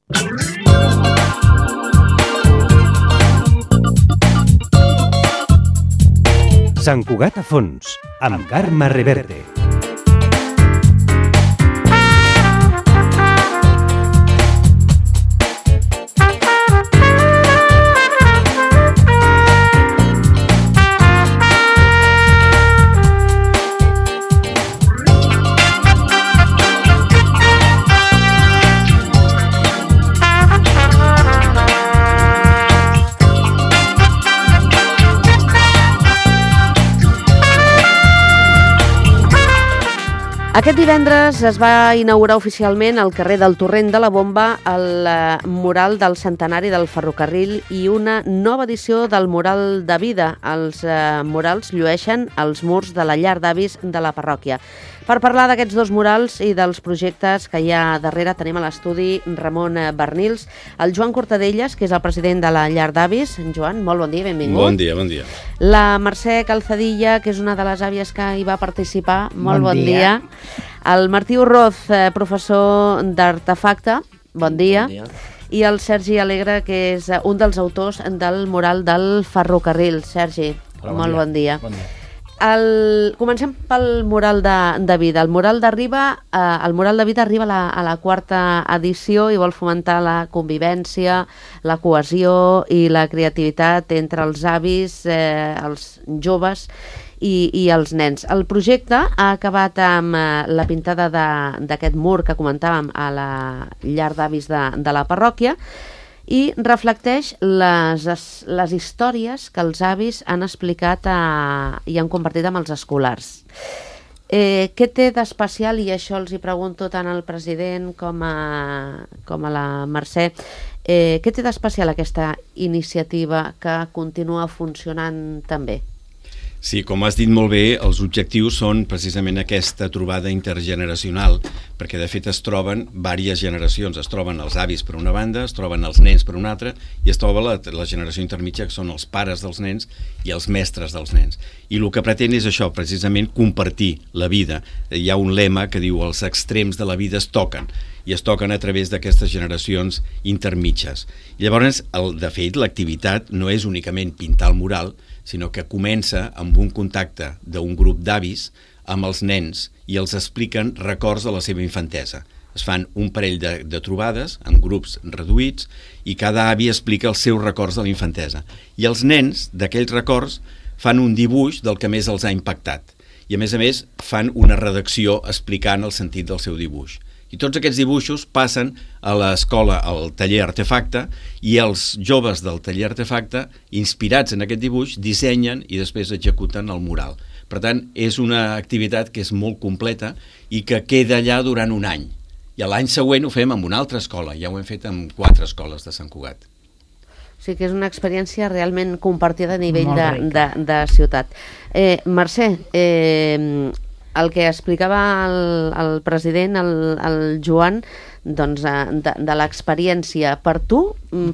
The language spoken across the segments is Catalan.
Sant Cugat a fons, amb Carme Reverte. Aquest divendres es va inaugurar oficialment al carrer del Torrent de la Bomba el mural del centenari del ferrocarril i una nova edició del mural de vida. Els murals llueixen als murs de la llar d'avis de la parròquia. Per parlar d'aquests dos murals i dels projectes que hi ha darrere tenim a l'estudi Ramon Bernils, el Joan Cortadelles, que és el president de la llar d'avis. Joan, molt bon dia, benvingut. Bon dia, bon dia. La Mercè Calzadilla, que és una de les àvies que hi va participar. Molt bon dia. El Martí Urroz, professor d'Artefacte. Bon dia. Bon dia. I el Sergi Alegre, que és un dels autors del mural del ferrocarril. Sergi, molt bon dia. Bon dia. Comencem pel mural de vida. El mural de vida arriba a la quarta edició i vol fomentar la convivència, la cohesió i la creativitat entre els avis, els joves i els nens. El projecte ha acabat amb la pintada d'aquest mur que comentàvem a la llar d'avis de la parròquia i reflecteix les històries que els avis han explicat i han compartit amb els escolars. Què té d'especial, i això els hi pregunto tant al president com a la Mercè, què té d'especial aquesta iniciativa que continua funcionant tan bé? Sí, com has dit molt bé, els objectius són precisament aquesta trobada intergeneracional, perquè de fet es troben diverses generacions, es troben els avis per una banda, es troben els nens per una altra, i es troba la generació intermitja, que són els pares dels nens i els mestres dels nens. I el que pretén és això, precisament compartir la vida. Hi ha un lema que diu els extrems de la vida es toquen, i es toquen a través d'aquestes generacions intermitges. Llavors, de fet, l'activitat no és únicament pintar el mural, sinó que comença amb un contacte d'un grup d'avis amb els nens i els expliquen records de la seva infantesa. Es fan un parell de trobades en grups reduïts i cada avi explica els seus records de la infantesa. I els nens d'aquells records fan un dibuix del que més els ha impactat. I a més fan una redacció explicant el sentit del seu dibuix. I tots aquests dibuixos passen a l'escola, al taller Artefacte, i els joves del taller Artefacte, inspirats en aquest dibuix, dissenyen i després executen el mural. Per tant, és una activitat que és molt completa i que queda allà durant un any. I l'any següent ho fem amb una altra escola, ja ho hem fet amb 4 escoles de Sant Cugat. O sigui que és una experiència realment compartida a nivell de ciutat. Mercè, el que explicava el president, el Joan, doncs, de l'experiència per tu,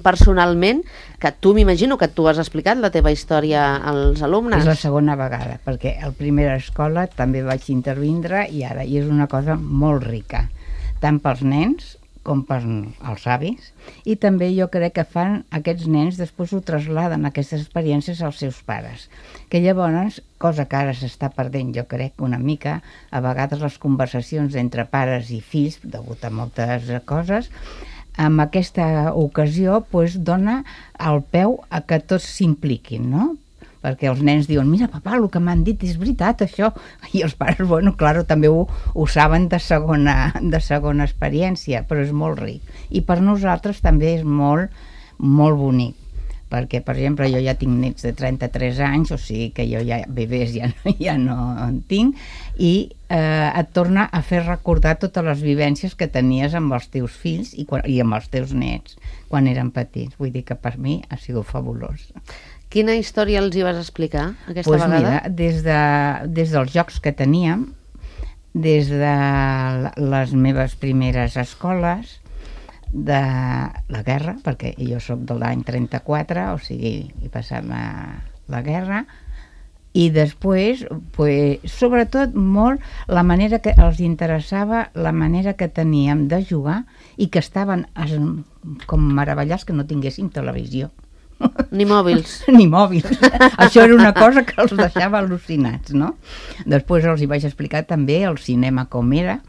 personalment, que tu m'imagino que tu has explicat la teva història als alumnes. És la segona vegada, perquè a la primera escola també vaig intervindre i és una cosa molt rica, tant pels nens com per als avis, i també jo crec que fan aquests nens, després ho trasladen aquestes experiències als seus pares, que llavors, cosa que ara s'està perdent jo crec una mica, a vegades les conversacions entre pares i fills, degut a moltes coses, amb aquesta ocasió dona el peu a que tots s'impliquin, no? Perquè els nens diuen, mira papà, el que m'han dit és veritat això, i els pares, bueno, clar, també ho saben de segona experiència, però és molt ric. I per nosaltres també és molt, molt bonic, perquè, per exemple, jo ja tinc nets de 33 anys, o sigui que jo ja bebès ja no en tinc, i et torna a fer recordar totes les vivències que tenies amb els teus fills i amb els teus nets quan eren petits. Vull dir que per mi ha sigut fabulós. Quina història els hi vas explicar aquesta vegada? Mira, des dels jocs que teníem, des de les meves primeres escoles, de la guerra, perquè jo sóc de l'any 34, o sigui, hi passava la guerra, I després, sobretot molt, la manera que els interessava, la manera que teníem de jugar i que estaven com meravellats que no tinguéssim televisió. Ni mòbils. Ni mòbils. Això era una cosa que els deixava al·lucinats, no? Després els hi vaig explicar també el cinema com era,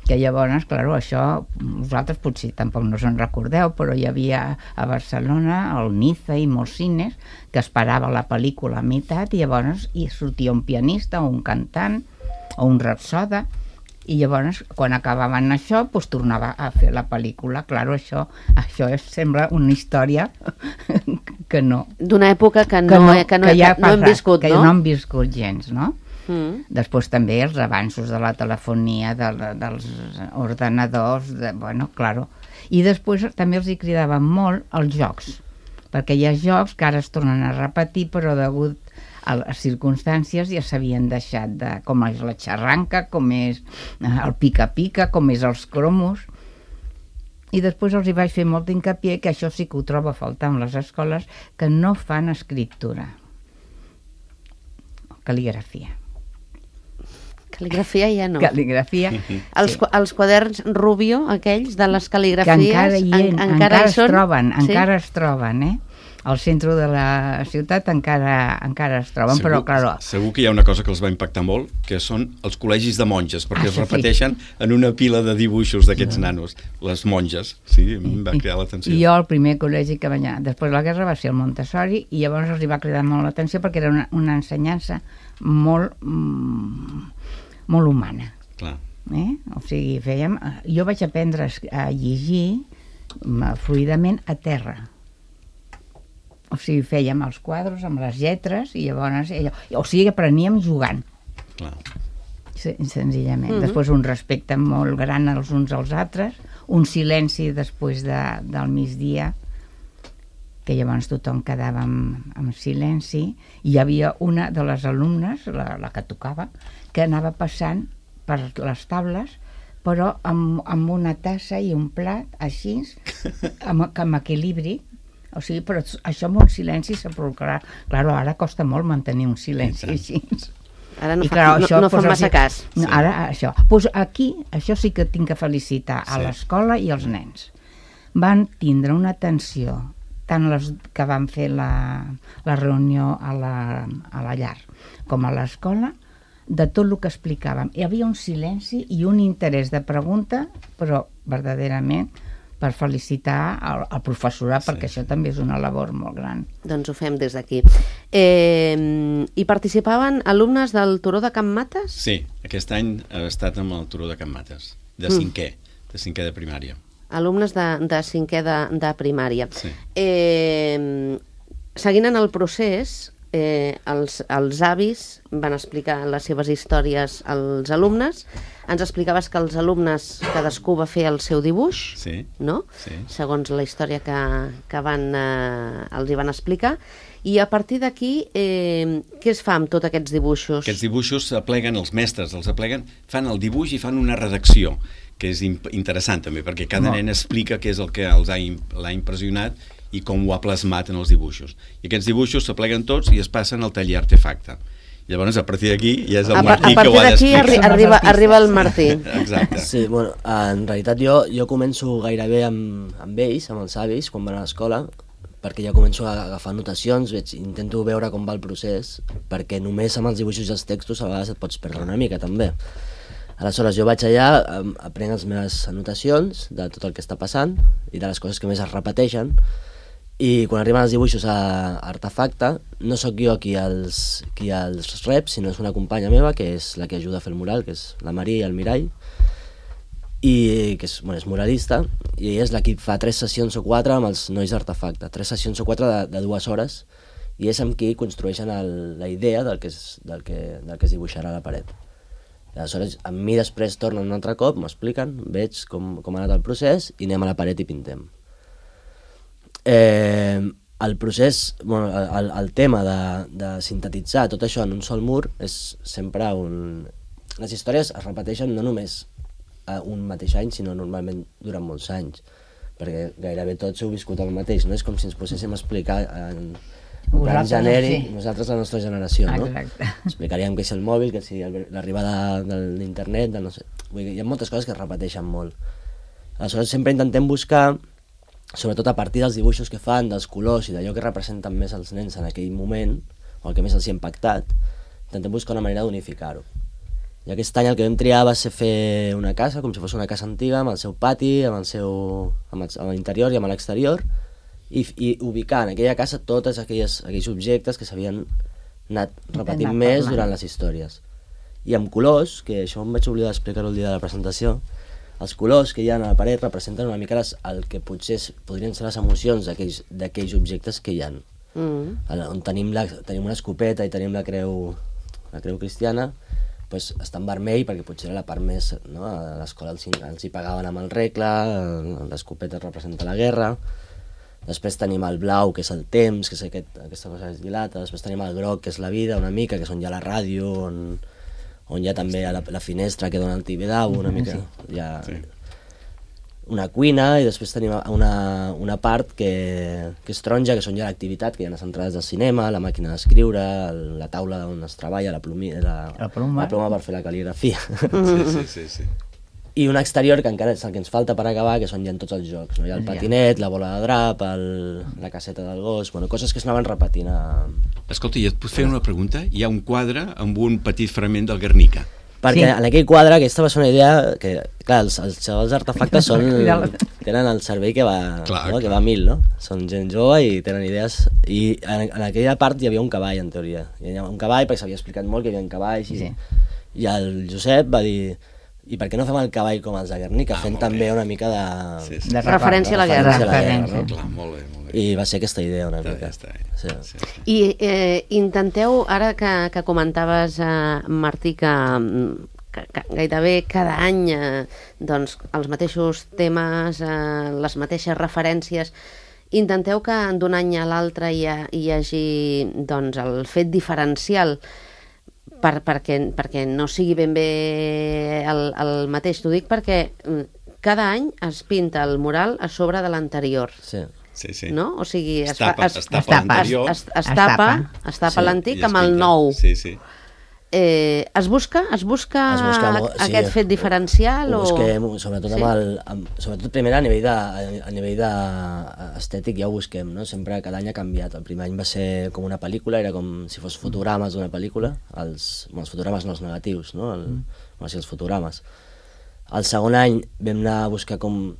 que llavors, clar, això vosaltres potser tampoc no se'n recordeu, però hi havia a Barcelona, al Niza i molts cines, que esperava la pel·lícula a meitat i llavors hi sortia un pianista o un cantant o un rapsoda i llavors quan acabaven això doncs tornava a fer la pel·lícula. Clar, això sembla una història que no... D'una època que no hem viscut, no? Que no hem viscut gens, no? Després també els avanços de la telefonia, dels ordenadors, claro. I després també els hi cridaven molt els jocs, perquè hi ha jocs que ara es tornen a repetir, però degut a les circumstàncies ja s'havien deixat, com és la xarranca, com és el pica-pica, com és els cromos. I després els hi vaig fer molt hincapié que això sí que ho trobo a faltar en les escoles, que no fan escriptura, cal·ligrafia. Cal·ligrafia ja no. Cal·ligrafia. Els quaderns Rubio, aquells de les cal·ligrafies, que encara es troben, al centre de la ciutat encara es troben, però clar... Segur que hi ha una cosa que els va impactar molt, que són els col·legis de monges, perquè es repeteixen en una pila de dibuixos d'aquests nanos, les monges. Sí, em va cridar l'atenció. I jo, el primer col·legi que vaig anar, després de la guerra, va ser el Montessori, i llavors els hi va cridar molt l'atenció perquè era una ensenyança molt humana. Clar. O sigui, jo vaig aprendre a llegir fluidament a terra. O sigui, fèiem els quadres amb les lletres i llavors... O sigui, apreníem jugant. Clar. Senzillament. Després un respecte molt gran els uns als altres, un silenci després del migdia, que llavors tothom quedava en silenci, i hi havia una de les alumnes, la que tocava, que anava passant per les taules, però amb una tassa i un plat, així, amb equilibri. O sigui, però això amb un silenci sepulcral. Clar, ara costa molt mantenir un silenci així. Ara no fa massa cas. Ara això. Doncs aquí, això sí que tinc que felicitar a l'escola i als nens. Van tindre una atenció, tant les que van fer la reunió a la llar com a l'escola, de tot el que explicàvem. Hi havia un silenci i un interès de pregunta, però verdaderament per felicitar el professorat, perquè això també és una labor molt gran. Doncs ho fem des d'aquí. Hi participaven alumnes del Turó de Can Mates? Sí, aquest any he estat amb el Turó de Can Mates, de cinquè de primària. Alumnes de cinquè de primària. Sí. Seguint en el procés, els avis van explicar les seves històries als alumnes. Ens explicaves que els alumnes, cadascú va fer el seu dibuix, no? Segons la història que els hi van explicar. I a partir d'aquí, què es fa amb tots aquests dibuixos? Aquests dibuixos s'apleguen, els mestres els apleguen, fan el dibuix i fan una redacció, que és interessant també, perquè cada nen explica què és el que l'ha impressionat i com ho ha plasmat en els dibuixos. I aquests dibuixos s'apleguen tots i es passen al taller Artefacte. Llavors, a partir d'aquí, ja és el Martí que ho ha d'explicar. A partir d'aquí arriba el Martí. Exacte. Sí, bueno, en realitat jo començo gairebé amb ells, amb els avis, quan van a l'escola, perquè ja començo a agafar anotacions, intento veure com va el procés, perquè només amb els dibuixos i els textos a vegades et pots perdre una mica, també. Aleshores, jo vaig allà, aprenc les meves anotacions de tot el que està passant i de les coses que més es repeteixen, i quan arriben els dibuixos a Artefacte, no sóc jo qui els rep, sinó és una companya meva, que és la que ajuda a fer el mural, que és la Maria i el Mirall, i que és muralista, i ella és la que fa 3 sessions o 4 amb els nois d'Artefacte, 3 sessions o 4 de 2 hores, i és amb qui construeixen la idea del que es dibuixarà a la paret. Aleshores, amb mi després tornen un altre cop, m'expliquen, veig com ha anat el procés i anem a la paret i pintem. El procés, el tema de sintetitzar tot això en un sol mur és sempre les històries es repeteixen no només un mateix any, sinó normalment durant molts anys, perquè gairebé tots heu viscut el mateix, no? És com si ens poséssim a explicar plan Vosaltres, genèric, sí. nosaltres la nostra generació, no? Exacte. Explicaríem què és el mòbil, què és l'arribada de l'internet, no sé. Vull dir, hi ha moltes coses que es repeteixen molt. Aleshores sempre intentem buscar, sobretot a partir dels dibuixos que fan, dels colors i d'allò que representen més els nens en aquell moment, o el que més els hi ha impactat, intentem buscar una manera d'unificar-ho. I aquest any el que vam triar va ser fer una casa, com si fos una casa antiga, amb el seu pati, amb l'interior i amb l'exterior, i ubicar en aquella casa tots aquells objectes que s'havien anat repetint més durant les històries. I amb colors, que això em vaig oblidar d'explicar-ho el dia de la presentació, els colors que hi ha a la paret representen una mica el que potser podrien ser les emocions d'aquells objectes que hi ha. On tenim una escopeta i tenim la creu cristiana, doncs està en vermell perquè potser era la part més, no? A l'escola els hi pagaven amb el regle, l'escopeta representa la guerra. Després tenim el blau, que és el temps, que és aquesta cosa que es dilata. Després tenim el groc, que és la vida, una mica, que és on hi ha la ràdio, on hi ha també la finestra que dona el tibidau, una mica. Hi ha una cuina, i després tenim una part que és taronja, que són ja l'activitat, que hi ha les entrades del cinema, la màquina d'escriure, la taula on es treballa, la ploma per fer la cal·ligrafia. Sí. I un exterior que encara és el que ens falta per acabar, que són ja en tots els jocs. No? Hi ha el patinet, la bola de drap, la caseta del gos, coses que s'anaven repetint. Escolta, i et puc fer una pregunta? Hi ha un quadre amb un petit fragment del Guernica. Perquè en aquell quadre, aquesta va ser una idea que, clar, els xavals d'artefactes tenen el cervell que va, no? Que va a 1000, no? Són gent jove i tenen idees. I en aquella part hi havia un cavall, en teoria. Hi havia un cavall perquè s'havia explicat molt que hi havia cavalls. I el Josep va dir: i per què no fem el cavall com els de Guernica, fent també una mica de referència a la guerra. No? Clar, molt bé. I va ser aquesta idea una mica. Sí. I intenteu, ara que comentaves, Martí, que gairebé cada any doncs, els mateixos temes, les mateixes referències, intenteu que d'un any a l'altre hi hagi doncs, el fet diferencial, perquè no sigui ben bé el mateix. T'ho dic perquè cada any es pinta el mural a sobre de l'anterior. Sí. No? O sigui, es tapa l'antic amb el nou. Sí. Es busca aquest fet diferencial? Ho busquem, sobretot primer a nivell estètic ja ho busquem, no? Sempre cada any ha canviat. El primer any va ser com una pel·lícula, era com si fos fotogrames d'una pel·lícula, els fotogrames no els negatius, no? Els fotogrames. El segon any vam anar a buscar com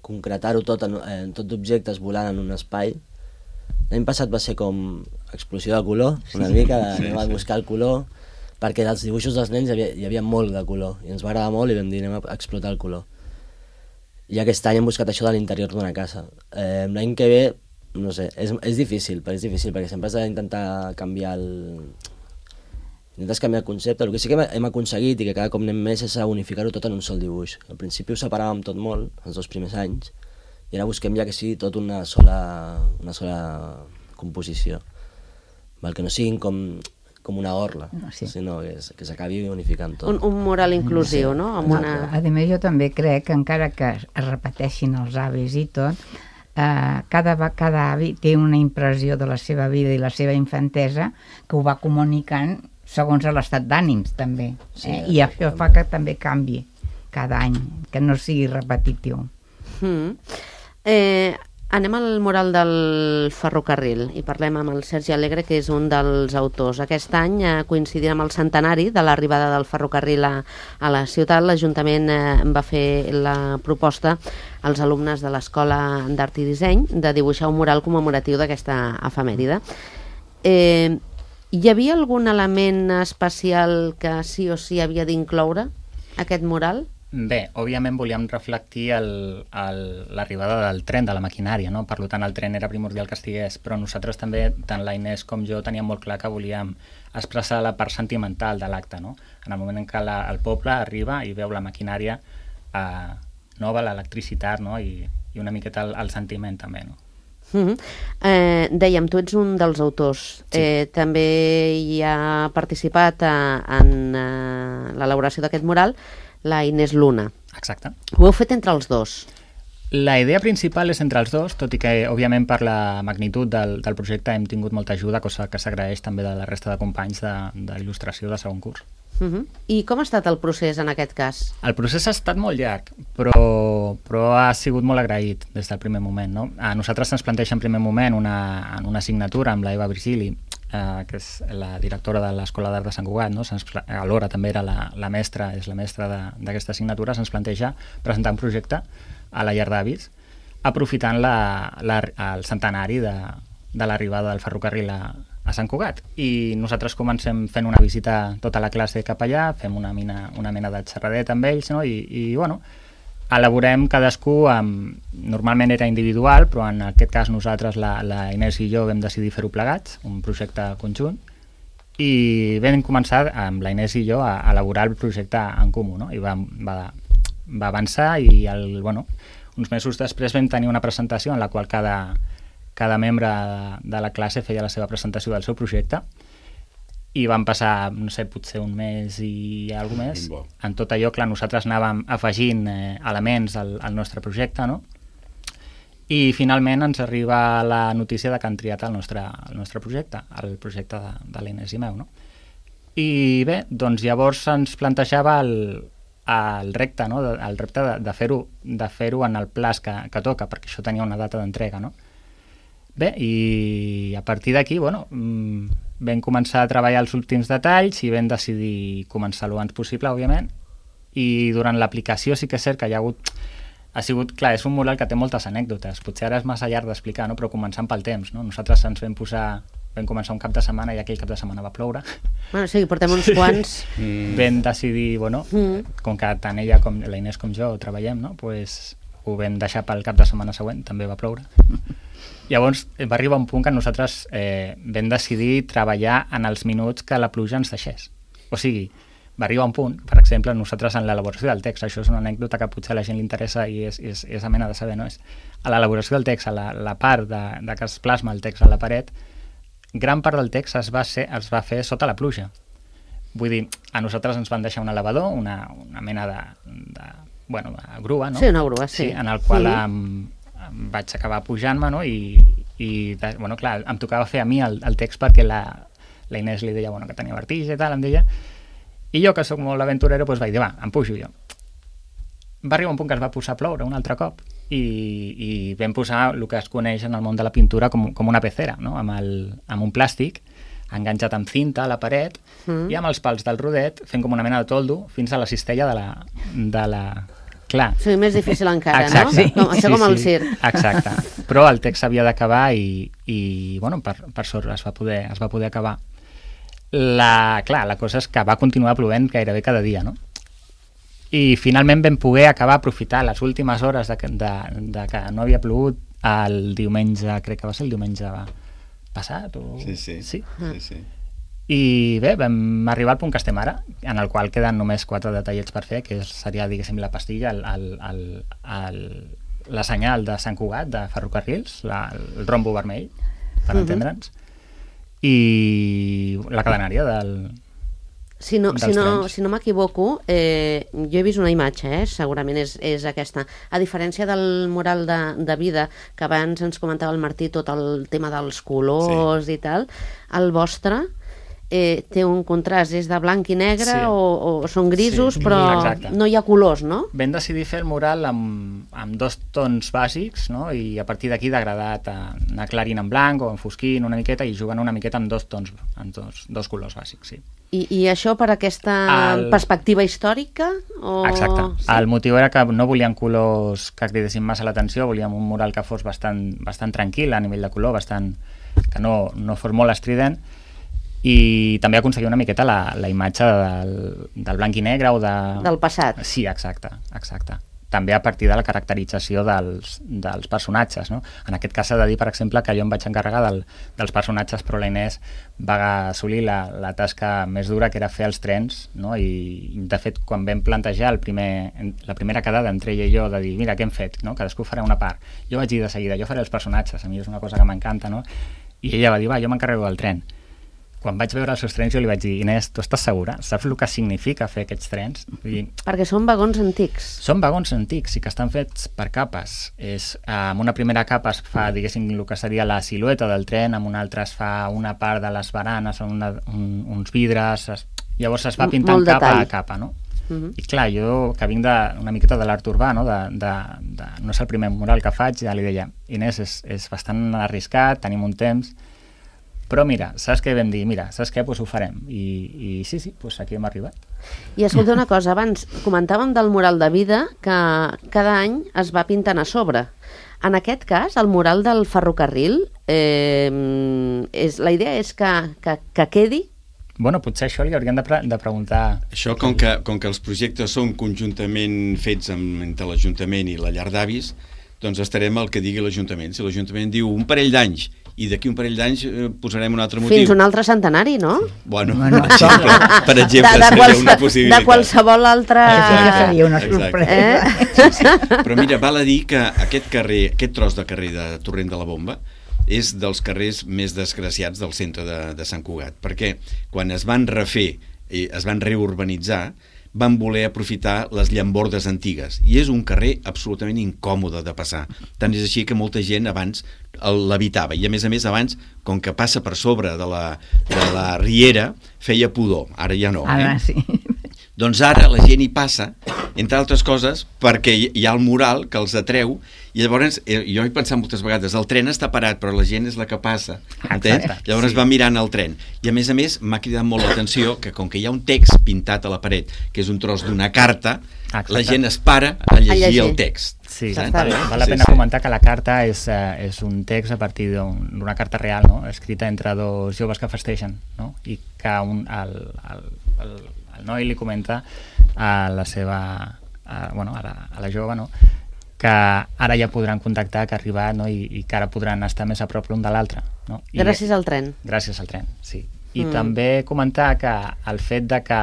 concretar-ho tot d'objectes volant en un espai. L'any passat va ser com explosió de color, una mica, anem a buscar el color, perquè dels dibuixos dels nens hi havia molt de color, i ens va agradar molt i vam dir anem a explotar el color. I aquest any hem buscat això de l'interior d'una casa. L'any que ve, no sé, és difícil, perquè sempre has d'intentar canviar el concepte. El que sí que hem aconseguit i que cada cop anem més és a unificar-ho tot en un sol dibuix. Al principi ho separàvem tot molt, els 2 primers anys, i ara busquem ja que sigui tot una sola composició, que no siguin com una orla, sinó que s'acabi unificant tot. Un mural inclusiu, no? A més, jo també crec que encara que es repeteixin els avis i tot, cada avi té una impressió de la seva vida i la seva infantesa que ho va comunicant segons l'estat d'ànims també, i això fa que també canvi cada any, que no sigui repetitiu. Anem al mural del ferrocarril i parlem amb el Sergi Alegre, que és un dels autors. Aquest any, coincidint amb el centenari de l'arribada del ferrocarril a la ciutat, l'Ajuntament va fer la proposta als alumnes de l'Escola d'Art i Disseny de dibuixar un mural commemoratiu d'aquesta efemèride. Hi havia algun element especial que sí o sí havia d'incloure aquest mural? Bé, òbviament volíem reflectir l'arribada del tren, de la maquinària, no? Per tant, el tren era primordial que estigués, però nosaltres també, tant la Inés com jo, teníem molt clar que volíem expressar la part sentimental de l'acte, no? En el moment en què el poble arriba i veu la maquinària nova, l'electricitat, no? I una miqueta el sentiment també, no? Dèiem, tu ets un dels autors. També hi ha participat en l'elaboració d'aquest mural la Inés Luna. Exacte. Ho heu fet entre els dos? La idea principal és entre els dos, tot i que, òbviament, per la magnitud del projecte hem tingut molta ajuda, cosa que s'agraeix també de la resta de companys d'il·lustració de segon curs. I com ha estat el procés en aquest cas? El procés ha estat molt llarg, però ha sigut molt agraït des del primer moment. No? A nosaltres se'ns planteja en primer moment una assignatura amb la Eva Virgili, que és la directora de l'Escola d'Art de Sant Cugat, no? Alhora també era la mestra, és la mestra d'aquesta assignatura, se'ns planteja presentar un projecte a la llar d'avis, aprofitant el centenari de l'arribada del ferrocarril a Sant Cugat. I nosaltres comencem fent una visita tota la classe cap allà, fem una mena de xerradeta amb ells, no? I bueno, elaborem cadascú, normalment era individual, però en aquest cas nosaltres, la Inés i jo, vam decidir fer-ho plegats, un projecte conjunt, i vam començar amb la Inés i jo a elaborar el projecte en comú, no? I va avançar i uns mesos després vam tenir una presentació en la qual cada membre de la classe feia la seva presentació del seu projecte i van passar, no sé, potser un mes i alguna més. En tot allò, clar, nosaltres anàvem afegint elements al nostre projecte, no? I finalment ens arriba la notícia de que han triat el nostre projecte, el projecte de l'Inés i meu, no? I bé, doncs llavors ens plantejava el repte, no? El repte de fer-ho en el plaç que toca, perquè això tenia una data d'entrega, no? Bé, i a partir d'aquí, vam començar a treballar els últims detalls i vam decidir començar lo abans possible, òbviament, i durant l'aplicació sí que és cert que ha sigut, clar, és un mural que té moltes anècdotes, potser ara és massa llarg d'explicar, no? Però començant pel temps, no? Nosaltres ens vam començar un cap de setmana i aquell cap de setmana va ploure. Bueno, sí, portem uns quants. Vam decidir, com que tant ella com la Inés com jo treballem, no? Pues ho vam deixar pel cap de setmana següent, també va ploure. Llavors va arribar un punt que nosaltres vam decidir treballar en els minuts que la pluja ens deixés. O sigui, va arribar un punt, per exemple, nosaltres en l'elaboració del text, això és una anècdota que potser a la gent li interessa i és amena de saber, no? A l'elaboració del text, a la part de que es plasma el text a la paret, gran part del text es va fer sota la pluja. Vull dir, a nosaltres ens van deixar un elevador, una mena de grua, no? Sí, una grua, sí. En el qual vaig acabar pujant-me, no? Clar, em tocava fer a mi el text perquè la Inés li deia que tenia vertigen i tal, em deia, i jo, que sóc molt aventurero, vaig dir, em pujo jo. Va arribar un punt que es va posar a ploure un altre cop i vam posar el que es coneix en el món de la pintura com una pecera, no? Amb un plàstic enganxat amb cinta a la paret i amb els pals del rodet fent com una mena de toldo fins a la cistella de la... Clar. Sí, més difícil encara, exacte. No? Això com el circ. Exacte. Però el text s'havia d'acabar i per sort es va poder acabar. La cosa és que va continuar plovent gairebé cada dia, no? I finalment vam poder acabar aprofitar les últimes hores de que no havia plogut el diumenge, crec que va ser el diumenge passat o... Sí. I bé, vam arribar al punt que estem ara, en el qual queden només 4 detallets per fer, que seria, diguéssim, la pastilla, la senyal de Sant Cugat, de ferrocarrils, el rombo vermell, per entendre'ns, i la cadenària Si no m'equivoco, jo he vist una imatge, segurament és aquesta. A diferència del mural de vida, que abans ens comentava el Martí, tot el tema dels colors i tal, el vostre té un contrast, és de blanc i negre o són grisos, però no hi ha colors, no? Vam decidir fer el mural amb 2 tons bàsics, no? I a partir d'aquí degradat, anar aclarint en blanc o enfosquint una miqueta i jugant una miqueta amb 2 tons, amb dos colors bàsics, sí. I això per aquesta perspectiva històrica? Exacte. Sí. El motiu era que no volíem colors que cridessin massa l'atenció, volíem un mural que fos bastant tranquil a nivell de color, que no fos molt estrident, i també aconseguir una miqueta la imatge del blanc i negre o del passat. Sí, exacte. També a partir de la caracterització dels personatges, no? En aquest cas s'ha de dir, per exemple, que jo em vaig encarregar dels personatges, però la Inés va assolir la tasca més dura, que era fer els trens, no? I de fet, quan vam plantejar la primera quedada entre ella i jo, de dir, mira, què hem fet? No? Cadascú farà una part. Jo vaig dir de seguida, jo faré els personatges, a mi és una cosa que m'encanta, no? I ella va dir, jo m'encarrego del tren. quan vaig veure els seus trens jo li vaig dir, Inés, tu estàs segura? Saps el que significa fer aquests trens? Vull dir, Perquè són vagons antics. són vagons antics i que estan fets per capes. Amb una primera capa es fa, diguéssim, el que seria la silueta del tren, amb una altra es fa una part de les baranes, uns vidres, llavors es va pintant Molt capa detall. a capa, no? I clar, jo, que vinc una miqueta de l'art urbà, no? No és el primer mural que faig, ja li deia, Inés, és bastant arriscat, tenim un temps, però mira, saps què vam dir? Mira, saps què? Doncs ho farem. I sí, doncs aquí hem arribat. I escolta una cosa, abans comentàvem del mural de vida que cada any es va pintant a sobre. En aquest cas, el mural del ferrocarril, la idea és que quedi. Bueno, potser això li hauríem de preguntar... Això, com que els projectes són conjuntament fets entre l'Ajuntament i la llar d'avis, doncs estarem al que digui l'Ajuntament. Si l'Ajuntament diu un parell d'anys i d'aquí un parell d'anys posarem un altre motiu. Fins un altre centenari, no? Bueno, per exemple, seria una possibilitat. De qualsevol altre... Seria una sorpresa. Sí. Però mira, val a dir que aquest tros de carrer de Torrent de la Bomba és dels carrers més desgraciats del centre de Sant Cugat, perquè quan es van refer i es van reurbanitzar van voler aprofitar les llambordes antigues i és un carrer absolutament incòmode de passar, tant és així que molta gent abans l'habitava i a més abans, com que passa per sobre de la riera, feia pudor, ara ja no. Ara sí. Doncs ara la gent hi passa, entre altres coses, perquè hi ha el mural que els atreu i llavors, jo he pensat moltes vegades, el tren està parat però la gent és la que passa, entens? Llavors sí. Va mirant el tren i a més m'ha cridat molt l'atenció que com que hi ha un text pintat a la paret que és un tros d'una carta, la gent es para a llegir el text. Sí, Està bé. val la pena comentar que la carta és un text a partir d'una carta real, no? Escrita entre dos joves que festeixen, no? I que el noi li comenta a la seva a la jove, no? Que ara ja podran contactar, que ha arribat, no? I que ara podran estar més a prop l'un de l'altre, no? Gràcies al tren. Gràcies al tren, sí. I també comentar que el fet de que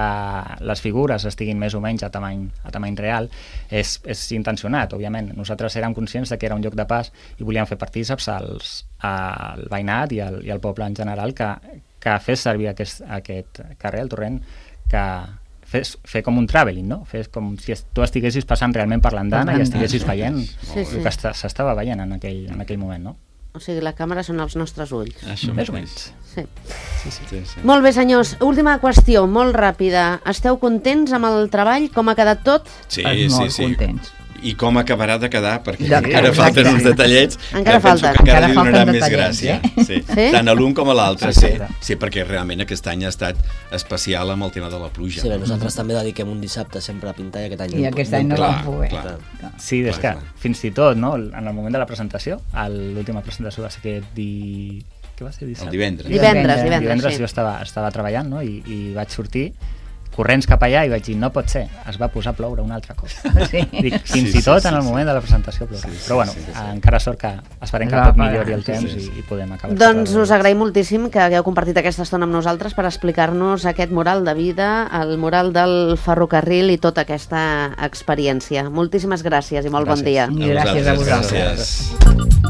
les figures estiguin més o menys a tamany real és intencionat, òbviament. Nosaltres érem conscients de que era un lloc de pas i volíem fer partíceps al veïnat i al poble en general que fes servir aquest carrer, el Torrent, que fer com un travelling, no? Fes com si tu estiguessis passant realment per l'andana i estiguessis veient el que s'estava veient en aquell moment, no? O sigui, la càmera són els nostres ulls. Això Més o menys. Sí. Sí. Molt bé, senyors. Última qüestió, molt ràpida. Esteu contents amb el treball? Com ha quedat tot? Sí. Molt contents. I com acabarà de quedar, perquè Sí, encara falten uns detallets Encara que penso falten. que encara Encara li donaran falten més detallets, gràcia. Sí. Sí? Tant a l'un com a l'altre, Sí. sí, perquè realment aquest any ha estat especial amb el tema de la pluja. Sí, bé, nosaltres també dediquem un dissabte sempre a pintar i aquest any... I aquest any no vam poder. clar. Sí, és que fins i tot, no? En el moment de la presentació, l'última presentació va ser què va ser? El divendres. Divendres sí. jo estava treballant, no? I vaig sortir corrents cap allà i vaig dir, no pot ser, es va posar a ploure un altre cop. Sí. Dic, fins i tot en el moment de la presentació plourà. Però bueno, encara sort que esperem que tot millori el temps i podem acabar. Doncs us agraïm moltíssim que hagueu compartit aquesta estona amb nosaltres per explicar-nos aquest mural de vida, el mural del ferrocarril i tota aquesta experiència. Moltíssimes gràcies i molt bon dia. I gràcies a vosaltres. Gràcies.